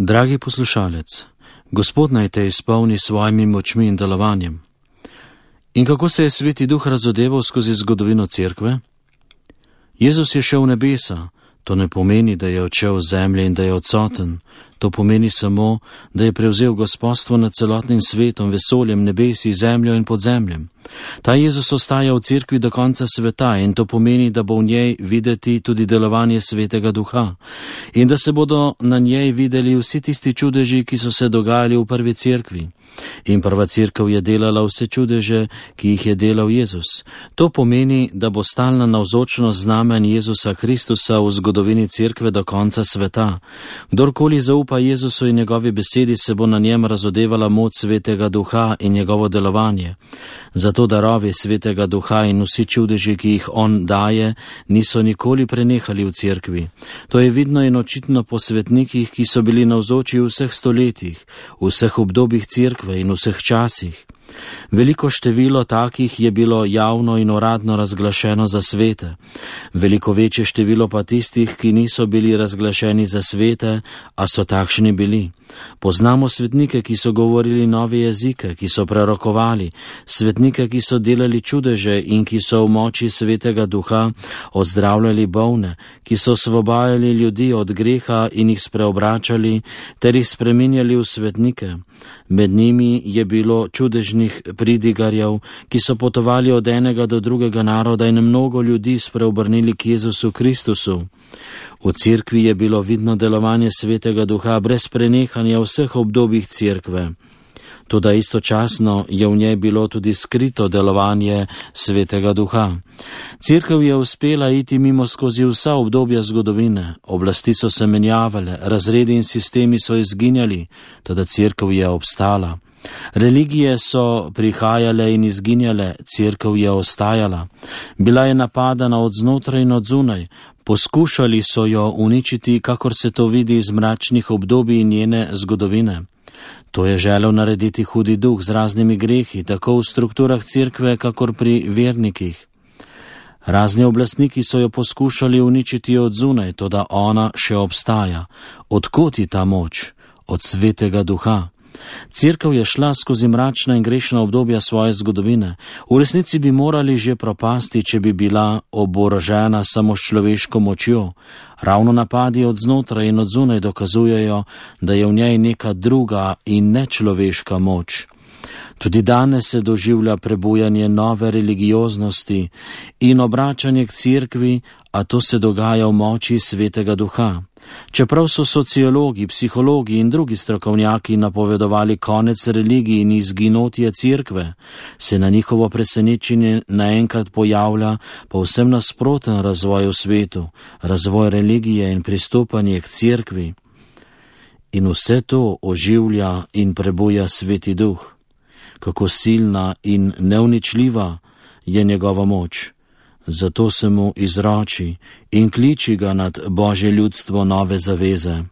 Dragi poslušalec, Gospod naj te izpolni svojimi močmi in delovanjem. In kako se je Sveti Duh razodeval skozi zgodovino Cerkve? Jezus je šel v nebesa. To ne pomeni, da je odšel z zemlje in da je odsoten. To pomeni samo, da je prevzel gospodstvo nad celotnim svetom, vesoljem, nebesi, zemljo in podzemljem. Ta Jezus ostaja v Cerkvi do konca sveta in to pomeni, da bo v njej videti tudi delovanje Svetega Duha in da se bodo na njej videli vsi tisti čudeži, ki so se dogajali v prvi Cerkvi. In prva Cerkev je delala vse čudeže, ki jih je delal Jezus. To pomeni, da bo stalna navzočnost znamen Jezusa Kristusa v zgodovini Cerkve do konca sveta. Kdorkoli zaupa Jezusu in njegovi besedi, se bo na njem razodevala moč Svetega Duha in njegovo delovanje. Zato darovi Svetega Duha in vsi čudeži, ki jih on daje, niso nikoli prenehali v Cerkvi. To je vidno in očitno po svetnikih, ki so bili navzoči v vseh stoletjih, v vseh obdobjih Cerkve in vseh časih. Veliko število takih je bilo javno in uradno razglašeno za svete. Veliko večje število pa tistih, ki niso bili razglašeni za svete, a so takšni bili. Poznamo svetnike, ki so govorili nove jezike, ki so prerokovali, svetnike, ki so delali čudeže in ki so v moči Svetega Duha ozdravljali bolne, ki so osvobajali ljudi od greha in jih spreobračali ter jih spreminjali v svetnike. Med njimi je bilo čudežnih pridigarjev, ki so potovali od enega do drugega naroda in mnogo ljudi spreobrnili k Jezusu Kristusu. V Cerkvi je bilo vidno delovanje Svetega Duha brez prenehanja v vseh obdobjih Cerkve. Toda istočasno je v njej bilo tudi skrito delovanje Svetega Duha. Cerkev je uspela iti mimo skozi vsa obdobja zgodovine, oblasti so se menjavale, razredi in sistemi so izginjali, toda Cerkev je obstala. Religije so prihajale in izginjale, Cerkev je ostajala. Bila je napadana od znotraj in od zunaj. Poskušali so jo uničiti, kakor se to vidi iz mračnih obdobij njene zgodovine. To je želel narediti hudi duh z raznimi grehi, tako v strukturah Cerkve, kakor pri vernikih. Razni oblastniki so jo poskušali uničiti od zunaj, toda ona še obstaja. Odkot je ta moč? Od Svetega Duha. Cerkev je šla skozi mračna in grešna obdobja svoje zgodovine. V resnici bi morali že propasti, če bi bila oborožena samo s človeško močjo. Ravno napadi od znotraj in od zunaj dokazujejo, da je v njej neka druga in nečloveška moč. Tudi danes se doživlja prebujanje nove religioznosti in obračanje k Cerkvi, a to se dogaja v moči Svetega Duha. Čeprav so sociologi, psihologi in drugi strokovnjaki napovedovali konec religij in izginotje Cerkve, se na njihovo presenečenje naenkrat pojavlja povsem nasproten razvoj v svetu, razvoj religije in pristopanje k Cerkvi. In vse to oživlja in prebuja Sveti Duh. Kako silna in neuničljiva je njegova moč. Zato se mu izroči in kliči ga nad Božje ljudstvo nove zaveze.